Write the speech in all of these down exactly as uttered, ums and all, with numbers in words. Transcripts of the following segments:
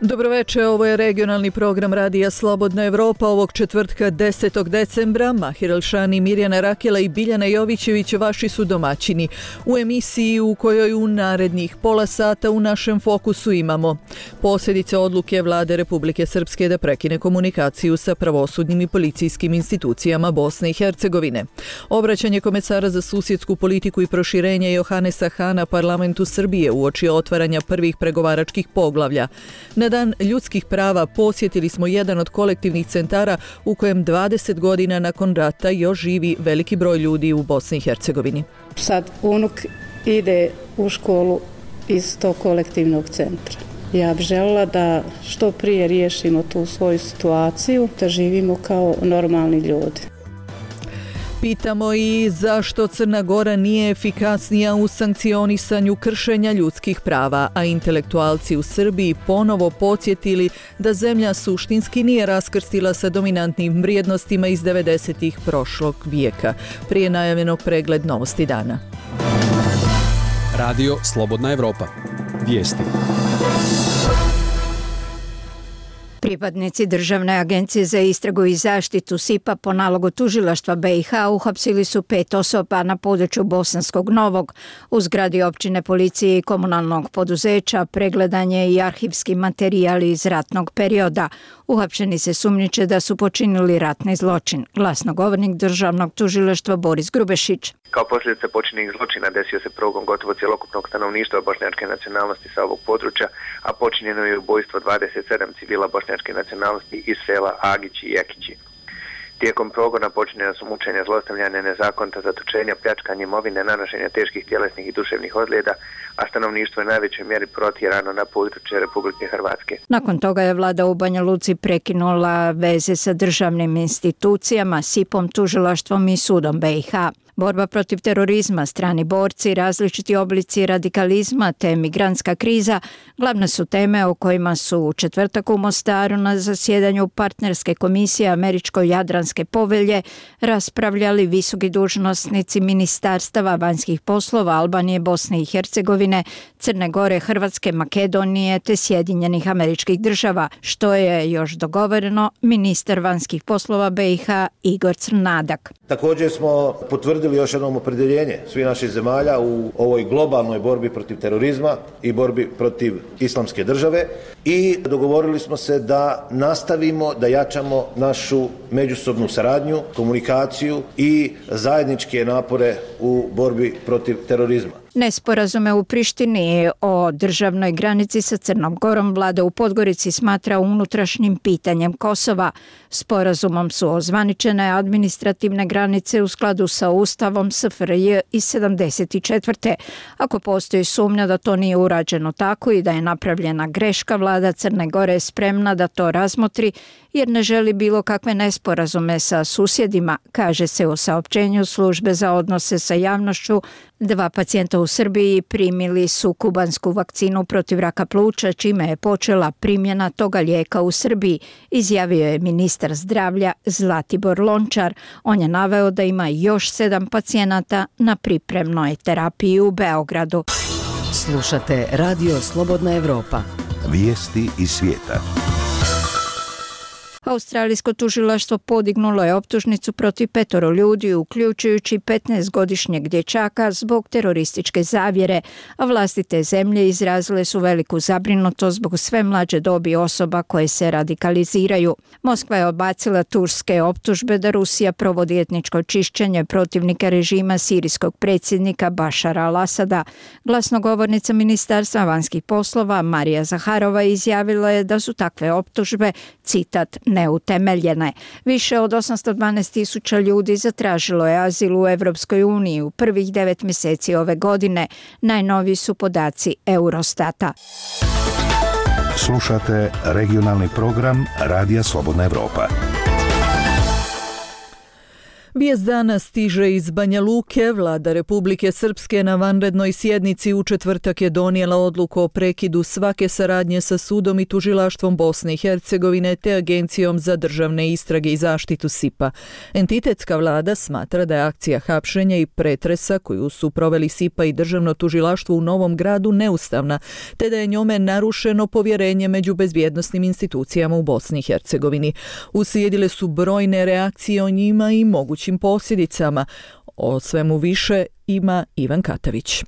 Dobroveče, ovo je regionalni program Radija Slobodna Evropa ovog četvrtka desetog decembra. Mahir Elšani, Mirjana Rakela i Biljana Jovićević vaši su domaćini. U emisiji u kojoj u narednih pola sata u našem fokusu imamo posljedice odluke Vlade Republike Srpske da prekine komunikaciju sa pravosudnim i policijskim institucijama Bosne i Hercegovine, obraćanje komesara za susjedsku politiku i proširenje Johanesa Hana parlamentu Srbije uoči otvaranja prvih pregovaračkih poglavlja. Na Dan ljudskih prava posjetili smo jedan od kolektivnih centara u kojem dvadeset godina nakon rata još živi veliki broj ljudi u Bosni i Hercegovini. Sad unuk ide u školu iz tog kolektivnog centra. Ja bih željela da što prije riješimo tu svoju situaciju, da živimo kao normalni ljudi. Pitamo i zašto Crna Gora nije efikasnija u sankcionisanju kršenja ljudskih prava, a intelektualci u Srbiji ponovo podsjetili da zemlja suštinski nije raskrstila sa dominantnim vrijednostima iz devedesetih prošlog vijeka. Prije najavljenog pregled novosti dana. Radio Slobodna Evropa. Vijesti. Pripadnici Državne agencije za istragu i zaštitu S I P A po nalogu tužilaštva B i H uhapsili su pet osoba na području Bosanskog Novog. U zgradi općine policije i komunalnog poduzeća pregledan je i arhivski materijali iz ratnog perioda. Uhapšeni se sumnjiče da su počinili ratni zločin. Glasnogovornik Državnog tužilaštva Boris Grubešić. Kao posljedica počinjenih zločina desio se progon gotovo cjelokupnog stanovništva bošnjačke nacionalnosti sa ovog područja, a počinjeno je ubojstvo dvadeset sedam civila bošnjačke nacionalnosti iz sela Agići i Jekići. Tijekom progona počinjena su mučenja, zlostavljanja, nezakonita zatočenja, pljačkanje imovine, nanošenja teških tjelesnih i duševnih ozljeda, a stanovništvo je u najvećoj mjeri protjerano na područje Republike Hrvatske. Nakon toga je vlada u Banja Luci prekinula veze sa državnim institucijama, S I P om, tužilaštvom i sudom B i H. Borba protiv terorizma, strani borci, različiti oblici radikalizma te migrantska kriza glavne su teme o kojima su u četvrtak u Mostaru na zasjedanju partnerske komisije Američko-Jadranske povelje raspravljali visoki dužnosnici ministarstava vanjskih poslova Albanije, Bosne i Hercegovine, Crne Gore, Hrvatske, Makedonije te Sjedinjenih Američkih Država, što je još dogovoreno ministar vanjskih poslova B i H Igor Crnadak. Također smo potvrdili još jednom opredjeljenje svih naših zemalja u ovoj globalnoj borbi protiv terorizma i borbi protiv islamske države i dogovorili smo se da nastavimo da jačamo našu međusobnu saradnju, komunikaciju i zajedničke napore u borbi protiv terorizma. Nesporazume u Prištini o državnoj granici sa Crnom Gorom vlada u Podgorici smatra unutrašnjim pitanjem Kosova. Sporazumom su ozvaničene administrativne granice u skladu sa Ustavom S F R J iz sedamdeset četvrte. Ako postoji sumnja da to nije urađeno tako i da je napravljena greška, vlada Crne Gore je spremna da to razmotri jer ne želi bilo kakve nesporazume sa susjedima, kaže se u saopćenju službe za odnose sa javnošću. Dva pacijenta u Srbiji primili su kubansku vakcinu protiv raka pluća, čime je počela primjena toga lijeka u Srbiji, izjavio je ministar zdravlja Zlatibor Lončar. On je naveo da ima još sedam pacijenata na pripremnoj terapiji u Beogradu. Slušate Radio Slobodna Evropa. Vijesti iz svijeta. Australijsko tužilaštvo podignulo je optužnicu protiv petoro ljudi, uključujući petnaestogodišnjeg dječaka zbog terorističke zavjere, a vlasti te zemlje izrazile su veliku zabrinutost zbog sve mlađe dobi osoba koje se radikaliziraju. Moskva je odbacila turske optužbe da Rusija provodi etničko čišćenje protivnika režima sirijskog predsjednika Bašara al-Asada. Glasnogovornica Ministarstva vanjskih poslova Marija Zaharova izjavila je da su takve optužbe, citat, neutemeljene. Više od osamsto dvanaest tisuća ljudi zatražilo je azil u Evropskoj uniji u prvih devet mjeseci ove godine. Najnoviji su podaci Eurostata. Slušate regionalni program Radija Slobodna Evropa. Vijest dana stiže iz Banja Luke. Vlada Republike Srpske na vanrednoj sjednici u četvrtak je donijela odluku o prekidu svake saradnje sa sudom i tužilaštvom Bosne i Hercegovine te Agencijom za državne istrage i zaštitu S I P-a. Entitetska vlada smatra da je akcija hapšenja i pretresa koju su proveli S I P-a i državno tužilaštvo u Novom Gradu neustavna, te da je njome narušeno povjerenje među bezbjednosnim institucijama u Bosni i Hercegovini. Uslijedile su brojne reakcije o njima i mogućim posljedicama. O svemu više ima Ivan Katavić.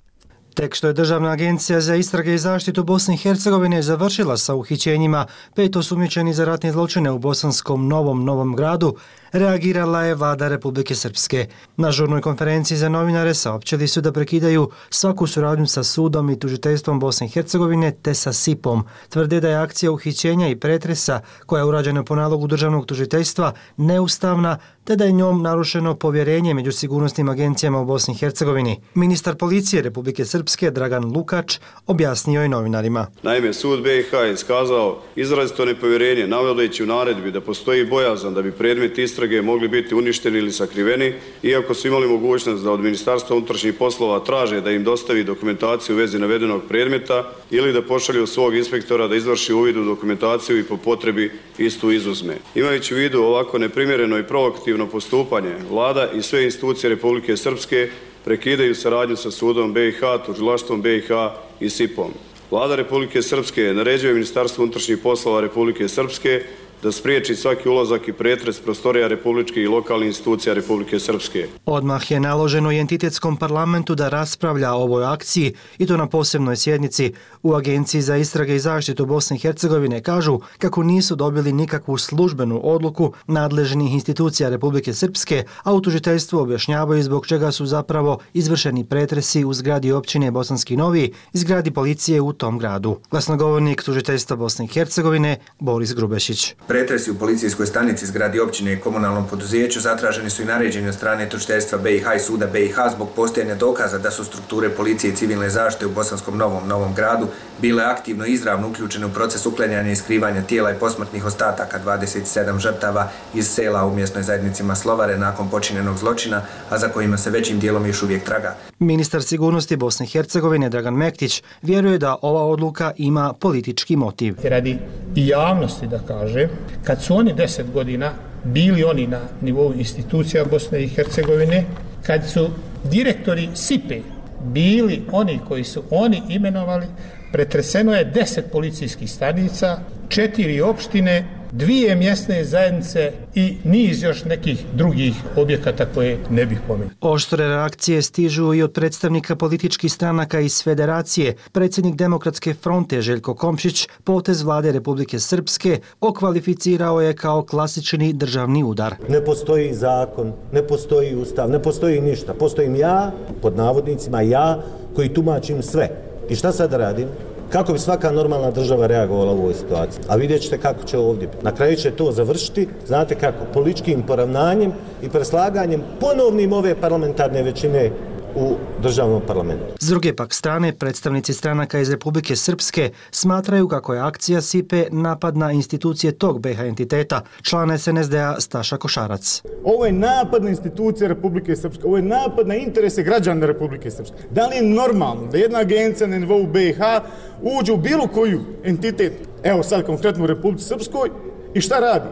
Tek što je Državna agencija za istrage i zaštitu Bosne i Hercegovine završila sa uhićenjima pet osumnjičenih za ratne zločine u bosanskom Novom Novom Gradu, reagirala je vlada Republike Srpske. Na žurnoj konferenciji za novinare saopćili su da prekidaju svaku suradnju sa sudom i tužiteljstvom Bosne i Hercegovine te sa S I P-om. Tvrde da je akcija uhićenja i pretresa koja je urađena po nalogu državnog tužiteljstva neustavna te da je njom narušeno povjerenje među sigurnosnim agencijama u Bosni i Hercegovini. Ministar policije Republike Srpske Dragan Lukač objasnio je novinarima. Naime, sud B i H je iskazao izrazito nepovjerenje navodeći u naredbi da postoji bojazan da bi predmet istrage mogli biti uništeni ili sakriveni, iako su imali mogućnost da od Ministarstva unutrašnjih poslova traže da im dostavi dokumentaciju u vezi navedenog predmeta ili da pošalju svog inspektora da izvrši uvid u dokumentaciju i po potrebi istu izuzme. Imajući u vidu ovako neprimjereno i provokativno postupanje, vlada i sve institucije Republike Srpske prekidaju saradnju sa sudom B i H, tužilaštvom B i H i S I P-om. Vlada Republike Srpske naređuje Ministarstvu unutrašnjih poslova Republike Srpske da spriječi svaki ulazak i pretres prostorija republičkih i lokalnih institucija Republike Srpske. Odmah je naloženo i entitetskom parlamentu da raspravlja o ovoj akciji i to na posebnoj sjednici. U Agenciji za istrage i zaštitu Bosne i Hercegovine kažu kako nisu dobili nikakvu službenu odluku nadležnih institucija Republike Srpske, a u tužiteljstvu objašnjavaju zbog čega su zapravo izvršeni pretresi u zgradi općine Bosanski Novi i zgradi policije u tom gradu. Glasnogovornik tužiteljstva Bosne i Hercegovine Boris Grubešić. Pretresi u policijskoj stanici, zgradi općine i komunalnom poduzeću zatraženi su i naređeni od strane tužiteljstva B i H i suda B i H zbog postojanja dokaza da su strukture policije i civilne zaštite u Bosanskom Novom Novom Gradu bile aktivno i izravno uključene u proces uklanjanja i skrivanja tijela i posmrtnih ostataka dvadeset sedam žrtava iz sela u mjesnoj zajednici Maslovare nakon počinjenog zločina, a za kojima se većim dijelom još uvijek traga. Ministar sigurnosti Bosne i Hercegovine Dragan Mektić vjeruje da ova odluka ima politički motiv. Radi i javnosti da kaže, kad su oni deset godina bili oni na nivou institucija Bosne i Hercegovine, kad su direktori S I P E bili oni koji su oni imenovali, pretreseno je deset policijskih stanica, četiri opštine, dvije mjesne zajednice i niz još nekih drugih objekata koje ne bih pomenuo. Oštre reakcije stižu i od predstavnika političkih stranaka iz Federacije. Predsjednik Demokratske fronte Željko Komšić potez vlade Republike Srpske okvalificirao je kao klasični državni udar. Ne postoji zakon, ne postoji ustav, ne postoji ništa. Postojim ja, pod navodnicima ja, koji tumačim sve. I šta sad radim? Kako bi svaka normalna država reagovala u ovoj situaciji? A vidjet ćete kako će ovdje biti. Na kraju će to završiti, znate kako, političkim poravnanjem i preslaganjem ponovnim ove parlamentarne većine u državnom parlamentu. S druge pak strane, predstavnici stranaka iz Republike Srpske smatraju kako je akcija S I P E napad na institucije tog B i H entiteta, član S N S D-a Staša Košarac. Ovo je napad na institucije Republike Srpske, ovo je napad na interese građana Republike Srpske. Da li je normalno da jedna agencija na nivou B i H uđe u bilo koju entitet, evo sad konkretno u Republici Srpskoj, i šta radi?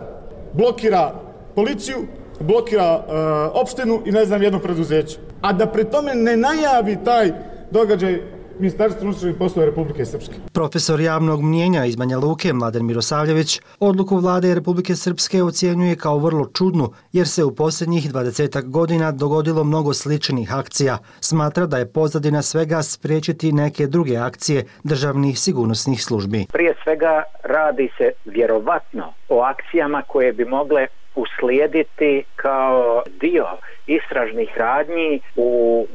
Blokira policiju, blokira uh, opštinu i ne znam jedno preduzeće. A da pri tome ne najavi taj događaj Ministarstvo unutrašnjih poslova Republike Srpske. Profesor javnog mnijenja iz Banja Luke Mladen Mirosavljević odluku vlade Republike Srpske ocjenjuje kao vrlo čudnu jer se u posljednjih dvadesetak godina dogodilo mnogo sličnih akcija. Smatra da je pozadina svega spriječiti neke druge akcije državnih sigurnosnih službi. Prije svega radi se vjerovatno o akcijama koje bi mogle uslijediti kao dio istražnih radnji u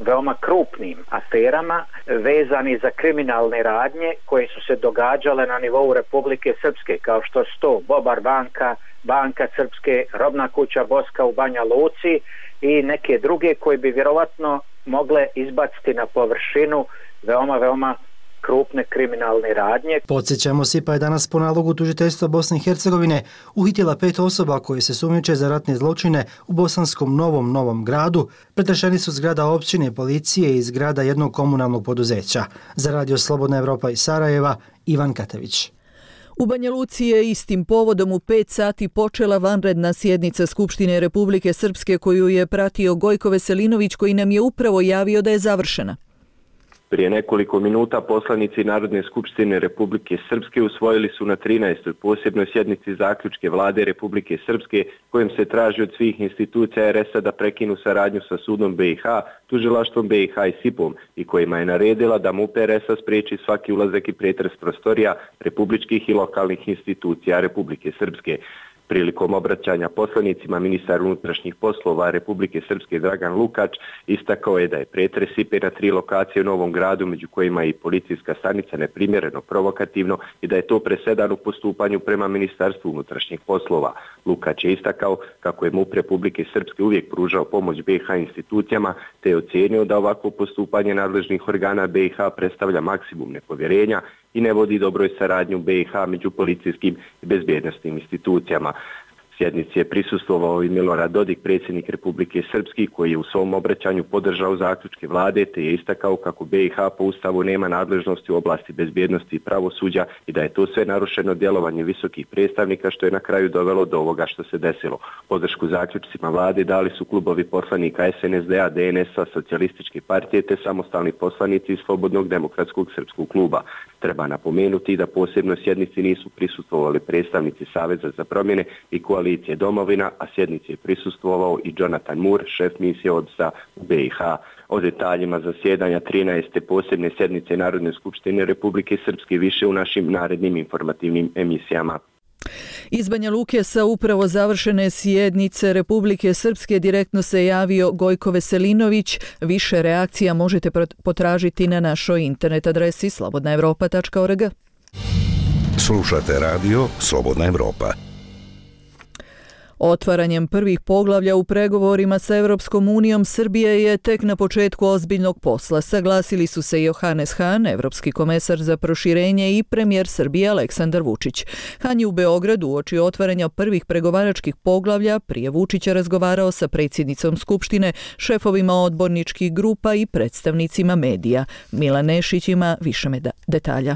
veoma krupnim aferama vezani za kriminalne radnje koje su se događale na nivou Republike Srpske, kao što su to Bobar banka, Banka Srpske, Robna kuća Boska u Banja Luci i neke druge koje bi vjerovatno mogle izbaciti na površinu veoma, veoma krupne kriminalne radnje. Podsjećamo, SIPA je danas po nalogu tužiteljstva Bosne i Hercegovine uhitila pet osoba koje se sumnjiče za ratne zločine u bosanskom Novom Novom Gradu. Pretrešeni su zgrada općine, policije i zgrada jednog komunalnog poduzeća. Za Radio Slobodna Evropa iz Sarajeva, Ivan Katević. U Banja Luci je istim povodom u pet sati počela vanredna sjednica Skupštine Republike Srpske koju je pratio Gojko Veselinović, koji nam je upravo javio da je završena. Prije nekoliko minuta poslanici Narodne skupštine Republike Srpske usvojili su na trinaestoj posebnoj sjednici zaključke vlade Republike Srpske kojim se traži od svih institucija er es a da prekinu saradnju sa sudom be i ha, tužilaštvom be i ha i sipom i kojima je naredila da MUP er es a spriječi svaki ulazak i pretres prostorija republičkih i lokalnih institucija Republike Srpske. Prilikom obraćanja poslanicima ministar unutrašnjih poslova Republike Srpske Dragan Lukač istakao je da je pretres sipe na tri lokacije u Novom Gradu, među kojima je i policijska stanica, neprimjereno provokativno i da je to presedan u postupanju prema Ministarstvu unutrašnjih poslova. Lukač je istakao kako je MUP Republike Srpske uvijek pružao pomoć be i ha institucijama, te je ocijenio da ovakvo postupanje nadležnih organa be i ha predstavlja maksimum nepovjerenja i ne vodi dobroj saradnju be i ha među policijskim i bezbjednostnim institucijama. Sjednici je prisustvovao i Milorad Dodik, predsjednik Republike Srpske, koji je u svom obraćanju podržao zaključke vlade te je istakao kako be i ha po ustavu nema nadležnosti u oblasti bezbjednosti i pravosuđa i da je to sve narušeno djelovanje visokih predstavnika, što je na kraju dovelo do ovoga što se desilo. Podršku zaključcima vlade dali su klubovi poslanika es en es de a, de en es a, Socijalističke partije te samostalni poslanici iz Slobodnog demokratskog srpskog kluba. Treba napomenuti da posebno sjednici nisu prisustvovali predstavnici Saveza za promjene i koalicije Domovina, a sjednici je prisustvovao i Jonathan Moore, šef misije odnosa u be i ha. O detaljima zasjedanja trinaeste posebne sjednice Narodne skupštine Republike Srpske više u našim narednim informativnim emisijama. Iz Banja Luke sa upravo završene sjednice Republike Srpske direktno se javio Gojko Veselinović. Više reakcija možete potražiti na našoj internet adresi slobodna evropa tačka org. Slušate radio Slobodna Evropa. Otvaranjem prvih poglavlja u pregovorima sa Evropskom unijom Srbija je tek na početku ozbiljnog posla. Saglasili su se Johannes Hahn, evropski komesar za proširenje, i premijer Srbije Aleksandar Vučić. Hahn je u Beogradu uoči otvaranja prvih pregovaračkih poglavlja prije Vučića razgovarao sa predsjednicom Skupštine, šefovima odborničkih grupa i predstavnicima medija. Milan Nešić ima više detalja.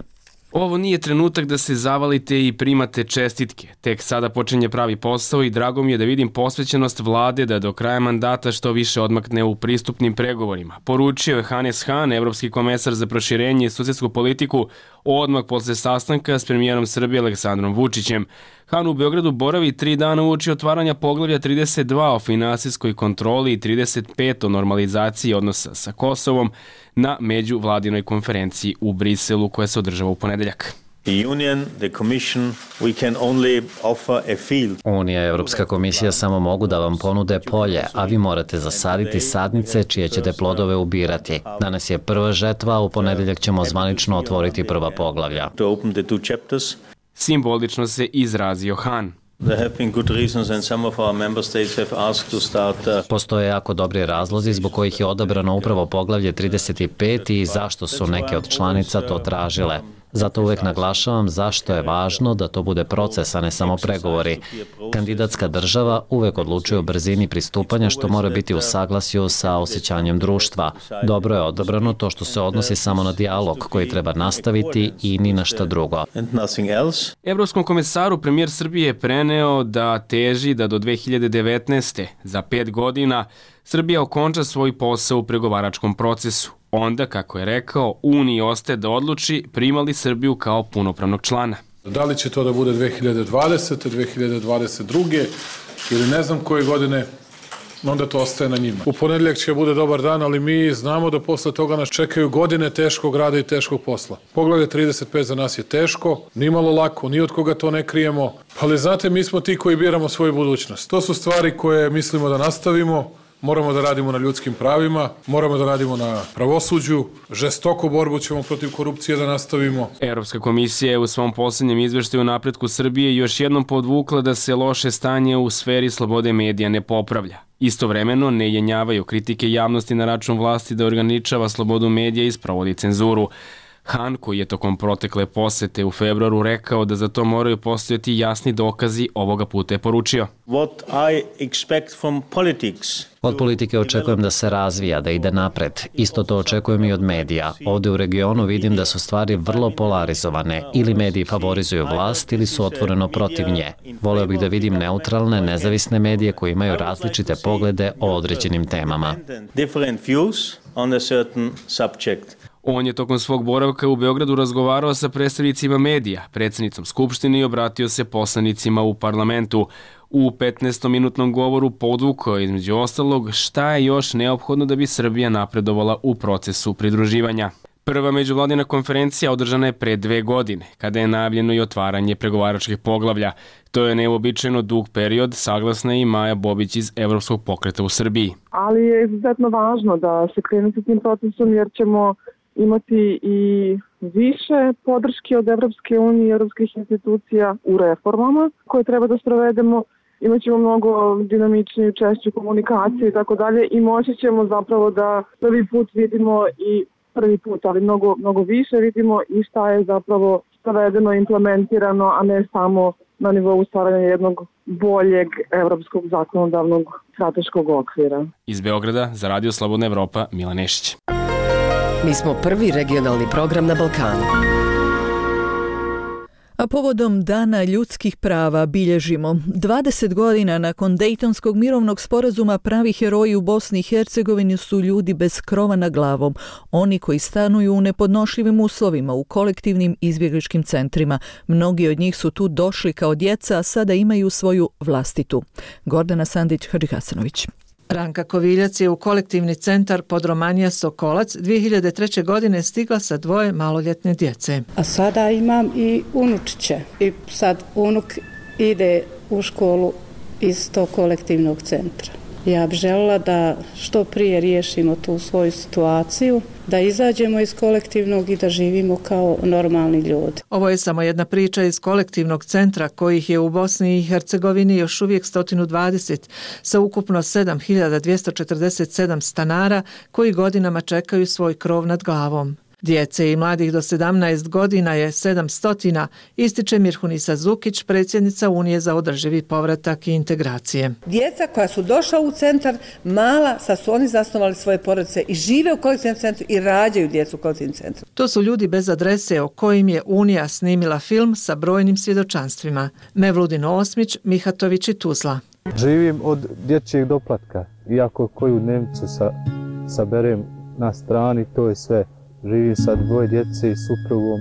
Ovo nije trenutak da se zavalite i primate čestitke. Tek sada počinje pravi posao i drago mi je da vidim posvećenost vlade da do kraja mandata što više odmakne u pristupnim pregovorima. Poručio je Johannes Hahn, evropski komesar za proširenje i susjedsku politiku, odmah posle sastanka s premijerom Srbije Aleksandrom Vučićem. Hahn u Beogradu boravi tri dana uoči otvaranja poglavlja trideset dva o finansijskoj kontroli i trideset pet o normalizaciji odnosa sa Kosovom na međuvladinoj konferenciji u Briselu koja se održava u ponedeljak. Unija i Evropska komisija samo mogu da vam ponude polje, a vi morate zasaditi sadnice čije ćete plodove ubirati. Danas je prva žetva, a u ponedeljak ćemo zvanično otvoriti prva poglavlja. Simbolično se izrazio Hahn. Postoje jako dobri razlozi zbog kojih je odabrano upravo poglavlje trideset pet i zašto su neke od članica to tražile. Zato uvek naglašavam zašto je važno da to bude proces, a ne samo pregovori. Kandidatska država uvek odlučuje o brzini pristupanja, što mora biti u saglasju sa osjećanjem društva. Dobro je odabrano to što se odnosi samo na dijalog koji treba nastaviti i ni na šta drugo. Evropskom komesaru premijer Srbije je preneo da teži da do dve hiljade devetnaeste. za pet godina Srbija okonča svoj posao u pregovaračkom procesu. Onda, kako je rekao, Uniji ostaje da odluči primali Srbiju kao punopravnog člana. Da li će to da bude dve hiljade dvadesete. dve hiljade dvadeset druge. ili ne znam koje godine, onda to ostaje na njima. U ponedjeljak će bude dobar dan, ali mi znamo da posle toga nas čekaju godine teškog rada i teškog posla. Poglavlje trideset pet za nas je teško, nimalo lako, ni od koga to ne krijemo, ali znate, mi smo ti koji biramo svoju budućnost. To su stvari koje mislimo da nastavimo. Moramo da radimo na ljudskim pravima, moramo da radimo na pravosuđu, žestoku borbu ćemo protiv korupcije da nastavimo. Evropska komisija je u svom posljednjem izveštaju o napretku Srbije još jednom podvukla da se loše stanje u sferi slobode medija ne popravlja. Istovremeno ne jenjavaju kritike javnosti na račun vlasti da ograničava slobodu medija i sprovodi cenzuru. Han, koji je tokom protekle posete u februaru rekao da za to moraju postojati jasni dokazi, ovoga puta je poručio. What I expect from politics. Od politike očekujem da se razvija, da ide napred. Isto to očekujem i od medija. Ovde u regionu vidim da su stvari vrlo polarizovane. Ili mediji favorizuju vlast ili su otvoreno protiv nje. Voleo bih da vidim neutralne, nezavisne medije koji imaju različite poglede o određenim temama. On je tokom svog boravka u Beogradu razgovarao sa predstavnicima medija, predsjednicom Skupštine i obratio se poslanicima u parlamentu. U petnaestominutnom govoru podvukao između ostalog šta je još neophodno da bi Srbija napredovala u procesu pridruživanja. Prva međuvladina konferencija održana je pre dve godine, kada je najavljeno i otvaranje pregovaračkih poglavlja. To je neuobičajeno dug period, saglasna je i Maja Bobić iz Evropskog pokreta u Srbiji. Ali je izuzetno važno da se krene sa tim procesom jer ćemo imati i više podrške od Evropske unije i evropskih institucija u reformama koje treba da sprovedemo. Imaćemo mnogo dinamičniju, češću komunikaciju i tako dalje i moći ćemo zapravo da prvi put vidimo i prvi put, ali mnogo, mnogo više vidimo i šta je zapravo sprovedeno, implementirano, a ne samo na nivou stvaranja jednog boljeg evropskog zakonodavnog strateškog okvira. Iz Beograda za Radio Slobodna Evropa, Milan Nešić. Mi smo prvi regionalni program na Balkanu. A povodom Dana ljudskih prava bilježimo dvadeset godina nakon Dejtonskog mirovnog sporazuma. Pravi heroji u Bosni i Hercegovini su ljudi bez krova nad glavom, oni koji stanuju u nepodnošljivim uslovima u kolektivnim izbjegličkim centrima. Mnogi od njih su tu došli kao djeca, a sada imaju svoju vlastitu. Gordana Sandić-Hadžihasanović. Ranka Koviljac je u kolektivni centar Podromanija Sokolac dvije hiljade treće. godine stigla sa dvoje maloljetne djece. A sada imam i unučiće i sad unuk ide u školu iz tog kolektivnog centra. Ja bih željela da što prije riješimo tu svoju situaciju, da izađemo iz kolektivnog i da živimo kao normalni ljudi. Ovo je samo jedna priča iz kolektivnog centra kojih je u Bosni i Hercegovini još uvijek sto dvadeset sa ukupno sedam hiljada dvjesto četrdeset sedam stanara koji godinama čekaju svoj krov nad glavom. Djece i mladih do sedamnaest godina je sedamsto, ističe Mirhunisa Zukić, predsjednica Unije za održivi povratak i integracije. Djeca koja su došla u centar, mala, sad su oni zasnovali svoje porodice i žive u kolektivnom centru i rađaju djecu u kolektivnom centru. To su ljudi bez adrese o kojim je Unija snimila film sa brojnim svjedočanstvima. Mevludin Osmić, Mihatović i Tuzla. Živim od dječjeg doplatka, iako koju dnevnicu sa, saberem na strani, to je sve. Živim sa dvoje djece i suprugom,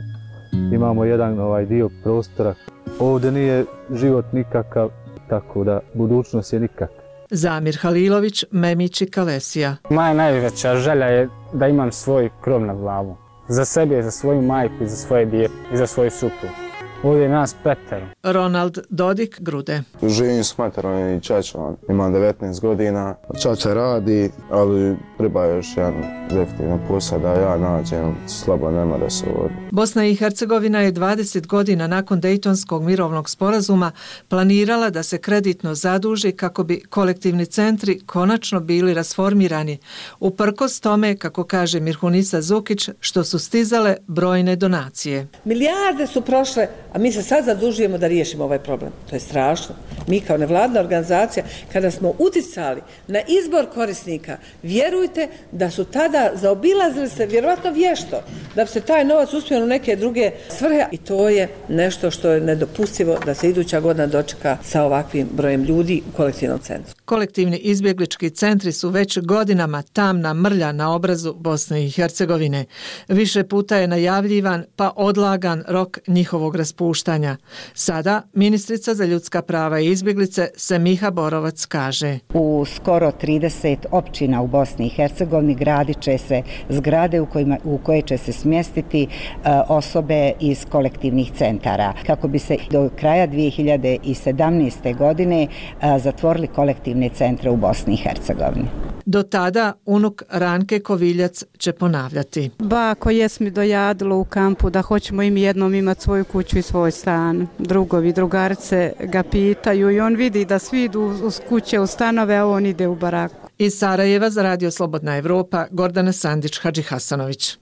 imamo jedan ovaj dio prostora. Ovdje nije život nikakav, tako da budućnost je nikak. Zamir Halilović, Memić i Kalesija. Moja najveća želja je da imam svoj krov nad glavom. Za sebe, za svoju majku i za svoje dijete i za svoju suprugu. Ovdje je nas petero. Ronald Dodik, Grude. Živim s materom i čačom, imam devetnaest godina. Čača radi, ali treba još jedan definitivno posao da ja nađem, slabo nema da se vodi. Bosna i Hercegovina je dvadeset godina nakon Dejtonskog mirovnog sporazuma planirala da se kreditno zaduži kako bi kolektivni centri konačno bili rasformirani. Uprkos tome, kako kaže Mirhunisa Zukić, što su stizale brojne donacije. Milijarde su prošle, a mi se sad zadužujemo da riješimo ovaj problem. To je strašno. Mi kao nevladna organizacija, kada smo uticali na izbor korisnika, vjerujte da su tada zaobilazili se vjerovatno vješto, da bi se taj novac uspio u neke druge svrhe i to je nešto što je nedopustivo da se iduća godina dočeka sa ovakvim brojem ljudi u kolektivnom centru. Kolektivni izbjeglički centri su već godinama tamna mrlja na obrazu Bosne i Hercegovine. Više puta je najavljivan pa odlagan rok njihovog raspuštanja. Sada ministrica za ljudska prava i izbjeglice Semiha Borovac kaže: U skoro trideset općina u Bosni i Hercegovini gradit će se zgrade u, kojima, u koje će se smjestiti uh, osobe iz kolektivnih centara kako bi se do kraja dvije hiljade sedamnaeste. godine uh, zatvorili kolektivne centre u Bosni i Hercegovini. Do tada unuk Ranke Koviljac će ponavljati. Bako jes mi dojadilo u kampu da hoćemo im jednom imati svoju kuću i svoj stan. Drugovi, drugarice ga pitaju i on vidi da svi idu uz kuće, u stanove, a on ide u baraku. Iz Sarajeva za Radio Slobodna Evropa, Gordana Sandić-Hadžihasanović.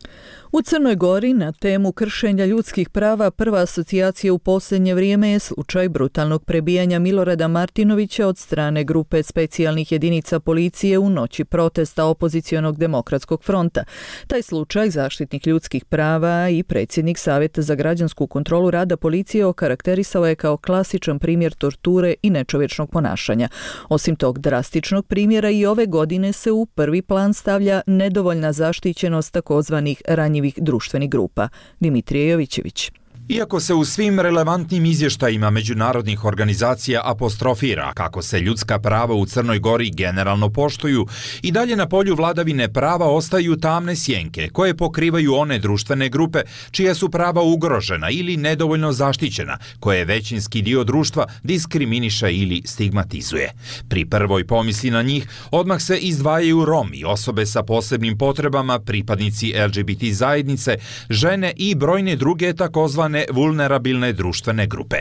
U Crnoj Gori na temu kršenja ljudskih prava prva asocijacija u posljednje vrijeme je slučaj brutalnog prebijanja Milorada Martinovića od strane grupe specijalnih jedinica policije u noći protesta opozicionog demokratskog fronta. Taj slučaj zaštitnik ljudskih prava i predsjednik Savjeta za građansku kontrolu rada policije okarakterisao je kao klasičan primjer torture i nečovječnog ponašanja. Osim tog drastičnog primjera i ove godine se u prvi plan stavlja nedovoljna zaštićenost takozvanih ranjivih društvenih grupa. Dimitrije Jovićević. Iako se u svim relevantnim izvještajima međunarodnih organizacija apostrofira kako se ljudska prava u Crnoj Gori generalno poštuju, i dalje na polju vladavine prava ostaju tamne sjenke koje pokrivaju one društvene grupe čija su prava ugrožena ili nedovoljno zaštićena, koje većinski dio društva diskriminiše ili stigmatizuje. Pri prvoj pomisli na njih odmah se izdvajaju Romi, osobe sa posebnim potrebama, pripadnici L G B T zajednice, žene i brojne druge takozvane vulnerabilne društvene grupe.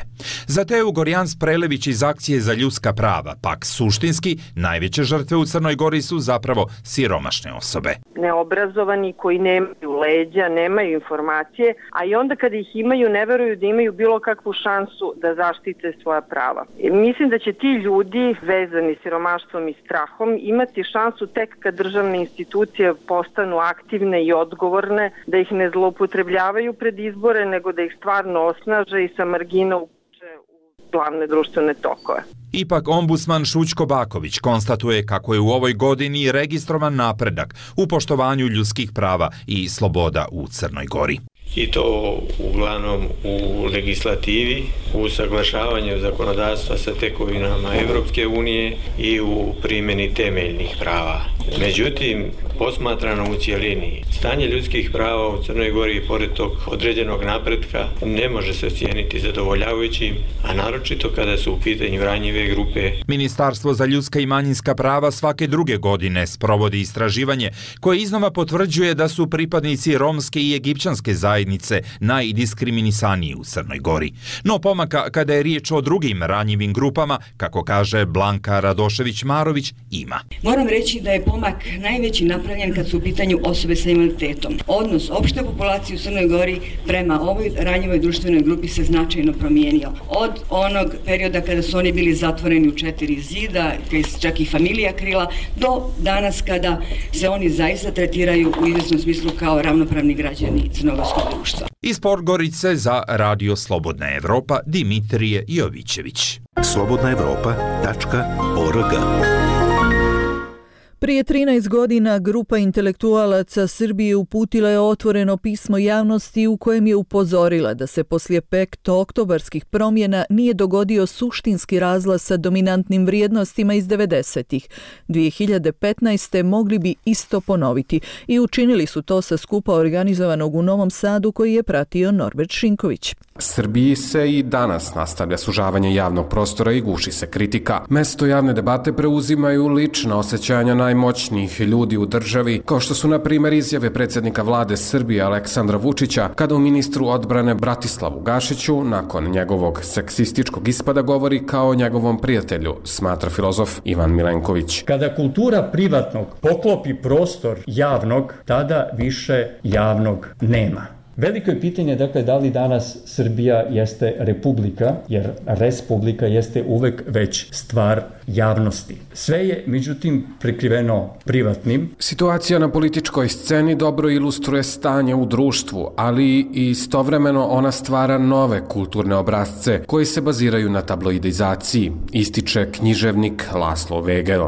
Za Teju Gorjans Prelević iz Akcije za ljudska prava, pak suštinski, najveće žrtve u Crnoj Gori su zapravo siromašne osobe. Neobrazovani koji nemaju leđa, nemaju informacije, a i onda kada ih imaju ne veruju da imaju bilo kakvu šansu da zaštite svoja prava. I mislim da će ti ljudi vezani siromaštvom i strahom imati šansu tek kad državne institucije postanu aktivne i odgovorne, da ih ne zloupotrebljavaju pred izbore, nego da ih stvarno osnaže i sa margina uče u glavne društvene tokove. Ipak ombudsman Šućko Baković konstatuje kako je u ovoj godini registrovan napredak u poštovanju ljudskih prava i sloboda u Crnoj Gori. I to uglavnom u legislativi, u usaglašavanju zakonodavstva sa tekovinama Evropske unije i u primjeni temeljnih prava. Međutim, posmatrano u cjelini, stanje ljudskih prava u Crnoj Gori pored tog određenog napretka ne može se ocijeniti zadovoljavajućim, a naročito kada su u pitanju ranjive grupe. Ministarstvo za ljudska i manjinska prava svake druge godine sprovodi istraživanje koje iznova potvrđuje da su pripadnici romske i egipćanske zajednice najdiskriminisaniji u Crnoj Gori. No pomaka kada je riječ o drugim ranjivim grupama, kako kaže Blanka Radošević-Marović, ima. Moram reći da je pomak najveći napravljen kad su u pitanju osobe sa invaliditetom. Odnos opšte populacije u Crnoj Gori prema ovoj ranjivoj društvenoj grupi se značajno promijenio. Od onog perioda kada su oni bili zatvoreni u četiri zida, čak i familija krila, do danas kada se oni zaista tretiraju u izvjesnom smislu kao ravnopravni građani crnogorskog društva. Iz Podgorice za Radio Slobodna Evropa, Dimitrije Jovićević. slobodna evropa tačka org. Prije trinaest godina grupa intelektualaca Srbije uputila je otvoreno pismo javnosti u kojem je upozorila da se poslije petooktobarskih promjena nije dogodio suštinski razlaz sa dominantnim vrijednostima iz devedesetih. dvije hiljade petnaeste. mogli bi isto ponoviti i učinili su to sa skupa organizovanog u Novom Sadu koji je pratio Norbert Šinković. Srbiji se i danas nastavlja sužavanje javnog prostora i guši se kritika. Mesto javne debate preuzimaju lična osjećanja najmoćnijih ljudi u državi, kao što su na primjer izjave predsjednika vlade Srbije Aleksandra Vučića kada u ministru odbrane Bratislavu Gašiću nakon njegovog seksističkog ispada govori kao o njegovom prijatelju, smatra filozof Ivan Milenković. Kada kultura privatnog poklopi prostor javnog, tada više javnog nema. Veliko je pitanje, dakle, da li danas Srbija jeste republika, jer respublika jeste uvek već stvar javnosti. Sve je, međutim, prekriveno privatnim. Situacija na političkoj sceni dobro ilustruje stanje u društvu, ali i istovremeno ona stvara nove kulturne obrazce koji se baziraju na tabloidizaciji, ističe književnik Laslo Vegel.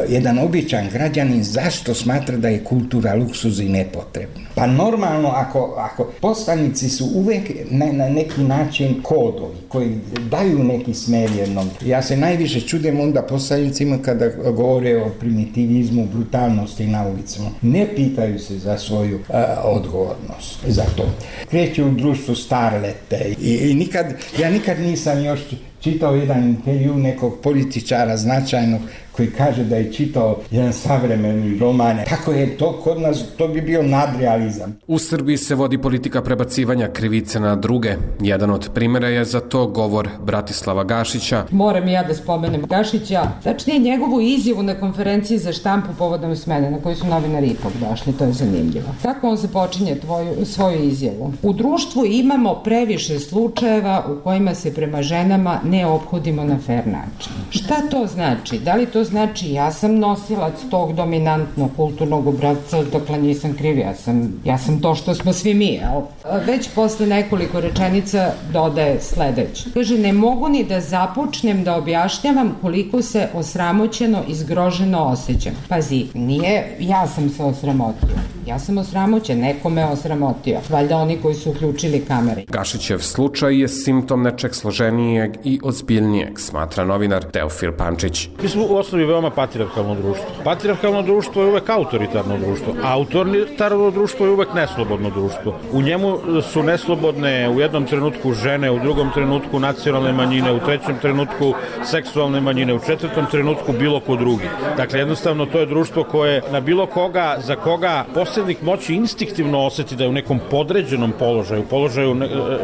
Jedan običan građanin zašto smatra da je kultura luksuz i nepotrebna? Pa normalno, ako, ako poslanici su uvek na, na neki način kodovi koji daju neki smer jednom. Ja se najviše čudim onda poslanicima kada govore o primitivizmu, brutalnosti na ulicama. Ne pitaju se za svoju uh, odgovornost za to. Kreću u društvu starlete i, i nikad, ja nikad nisam još čitao jedan intervju nekog političara značajnog koji kaže da je čitao jedan savremeni roman. Tako je to kod nas, to bi bio nadrealizam. U Srbiji se vodi politika prebacivanja krivice na druge. Jedan od primjera je za to govor Bratislava Gašića. Moram i ja da spomenem Gašića, tačnije njegovu izjavu na konferenciji za štampu povodom smene, na kojoj su novinari ipak došli, to je zanimljivo. Kako on se počinje tvoju, svoju izjavu? U društvu imamo previše slučajeva u kojima se prema ženama ne ophodimo na fair način. Šta to znači? Da li to znači ja sam nosilac tog dominantnog kulturnog obrazca, dokle nisam kriv, ja sam, ja sam to što smo svi mi, jel? Već posle nekoliko rečenica dodaje sledeće. Kaže, ne mogu ni da započnem da objašnjavam koliko se osramoćeno i zgroženo osjećam. Pazi, nije ja sam se osramotio. Ja sam osramoćen, neko me osramotio. Valjda oni koji su uključili kamere. Gašićev slučaj je simptom nečeg složenijeg i ozbiljnijeg, smatra novinar Teofil Pančić. Mi smo u osnovi veoma patrijarhalno društvo. Patrijarhalno društvo je uvek autoritarno društvo. Autoritarno društvo je uvek neslobodno društvo. U njemu su neslobodne u jednom trenutku žene, u drugom trenutku nacionalne manjine, u trećem trenutku seksualne manjine, u četvrtom trenutku bilo ko drugi. Dakle, jednostavno to je društvo koje na bilo koga, za koga posrednik moći instinktivno osjeti da je u nekom podređenom položaju, položaju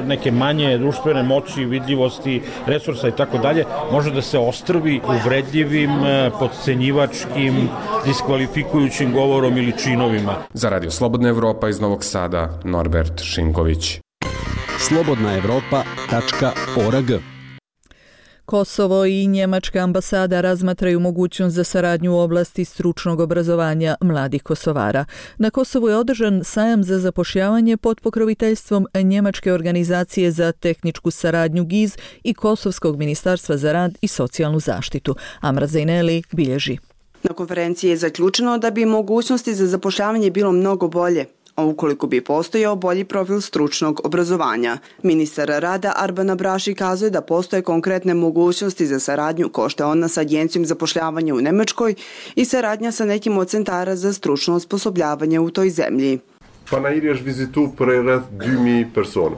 neke manje društvene moći, vidljivosti, resursa i tako dalje, može da se ostrvi uvredljivim, podcenjivačkim, diskvalifikujućim govorom ili činovima. Za Radio Slobodna Evropa iz Novog Sada, Norbert Šinković. slobodna evropa tačka org. Kosovo i njemačka ambasada razmatraju mogućnost za saradnju u oblasti stručnog obrazovanja mladih Kosovara. Na Kosovu je održan sajam za zapošljavanje pod pokroviteljstvom njemačke organizacije za tehničku saradnju G I Z i Kosovskog ministarstva za rad i socijalnu zaštitu. Amra Zejneli bilježi. Na konferenciji je zaključeno da bi mogućnosti za zapošljavanje bilo mnogo bolje, a ukoliko bi postojao bolji profil stručnog obrazovanja. Ministar rada Arban Abraši kazuje da postoje konkretne mogućnosti za saradnju ko što je ona sa agencijom zapošljavanja u Nemačkoj i saradnja sa nekim od centara za stručno osposobljavanje u toj zemlji. Pa na iriš vizitu prered dvimi persona.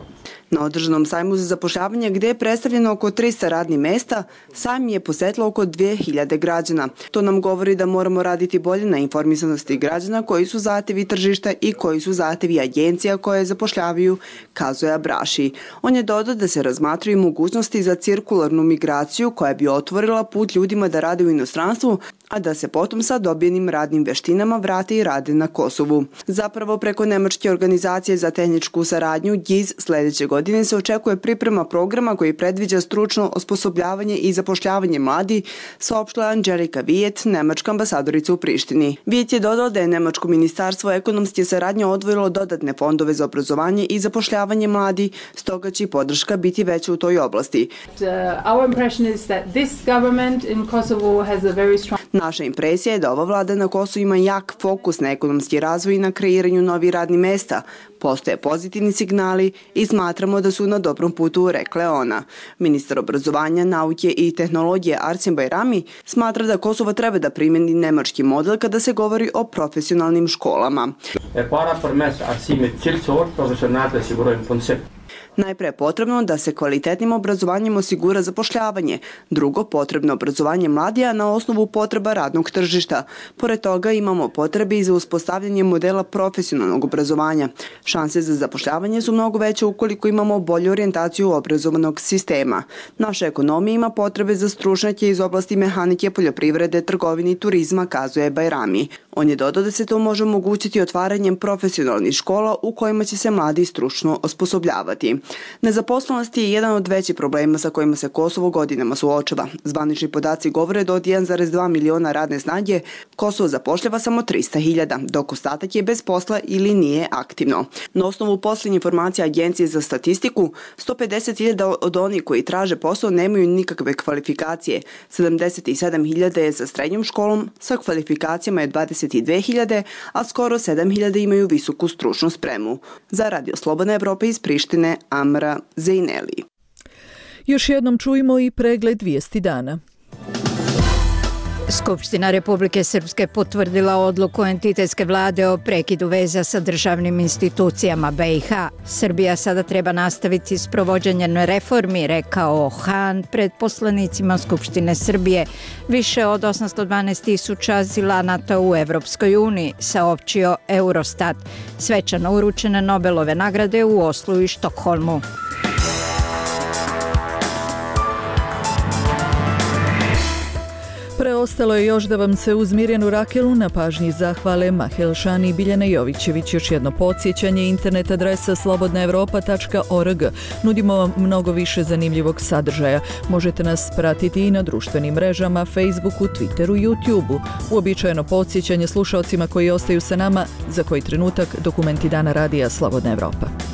Na održanom sajmu za zapošljavanje gdje je predstavljeno oko trista radnih mesta, sajm je posjetilo oko dvije hiljade građana. To nam govori da moramo raditi bolje na informisanosti građana koji su zahtjevi tržišta i koji su zahtjevi agencija koje zapošljavaju, kazuje Abraši. On je dodao da se razmatraju mogućnosti za cirkularnu migraciju koja bi otvorila put ljudima da rade u inostranstvu, a da se potom sa dobijenim radnim veštinama vrate i rade na Kosovu. Zapravo preko Nemačke organizacije za tehničku saradnju G I Z sljedeće godine se očekuje priprema programa koji predviđa stručno osposobljavanje i zapošljavanje mladi, saopštila Anđelika Vijet, nemačka ambasadorica u Prištini. Vijet je dodala da je Nemačko ministarstvo ekonomske saradnje odvojilo dodatne fondove za obrazovanje i zapošljavanje mladi, stoga će podrška biti veća u toj oblasti. Naša impresija je da ova vlada na Kosovu ima jak fokus na ekonomski razvoj i na kreiranju novih radnih mesta. Postoje pozitivni signali i smatramo da su na dobrom putu, rekla je ona. Ministar obrazovanja, nauke i tehnologije Arsen Bajrami smatra da Kosovo treba da primjeni nemački model kada se govori o profesionalnim školama. Najpre je potrebno da se kvalitetnim obrazovanjem osigura zapošljavanje. Drugo, potrebno obrazovanje mladija na osnovu potreba radnog tržišta. Pored toga imamo potrebe i za uspostavljanje modela profesionalnog obrazovanja. Šanse za zapošljavanje su mnogo veće ukoliko imamo bolju orijentaciju obrazovanog sistema. Naša ekonomija ima potrebe za stručnjake iz oblasti mehanike, poljoprivrede, trgovine i turizma, kazuje Bajrami. On je dodao da se to može omogućiti otvaranjem profesionalnih škola u kojima će se mladi stručno osposobljavati. Nezaposlenost je jedan od većih problema sa kojima se Kosovo godinama suočava. Zvanični podaci govore da od jedan zarez dva miliona radne snage Kosovo zapošljava samo trista hiljada, dok ostatak je bez posla ili nije aktivno. Na osnovu posljednje informacije Agencije za statistiku, sto pedeset hiljada od onih koji traže posao nemaju nikakve kvalifikacije, sedamdeset sedam hiljada je sa srednjom školom, sa kvalifikacijama je dvadeset dve hiljade, a skoro sedam hiljada imaju visoku stručnu spremu. Za Radio Slobodna Evropa iz Prištine, Amra Zejneli. Još jednom čujemo i pregled vijesti dana. Skupština Republike Srpske potvrdila odluku entitetske vlade o prekidu veza sa državnim institucijama B i H. Srbija sada treba nastaviti s provođenjem reformi, rekao Han pred poslanicima Skupštine Srbije. Više od osamsto dvanaest tisuća azilanata u Evropskoj uniji, saopćio Eurostat. Svečano uručene Nobelove nagrade u Oslu i Štokholmu. Preostalo je još da vam se uz Mirjanu Rakelu na pažnji zahvale Maha Elšani i Biljana Jovićević. Još jedno podsjećanje, internet adresa slobodna evropa tačka org. Nudimo vam mnogo više zanimljivog sadržaja. Možete nas pratiti i na društvenim mrežama, Facebooku, Twitteru, YouTubeu. Uobičajeno podsjećanje slušaocima koji ostaju sa nama za koji trenutak dokumenti dana radija Slobodna Evropa.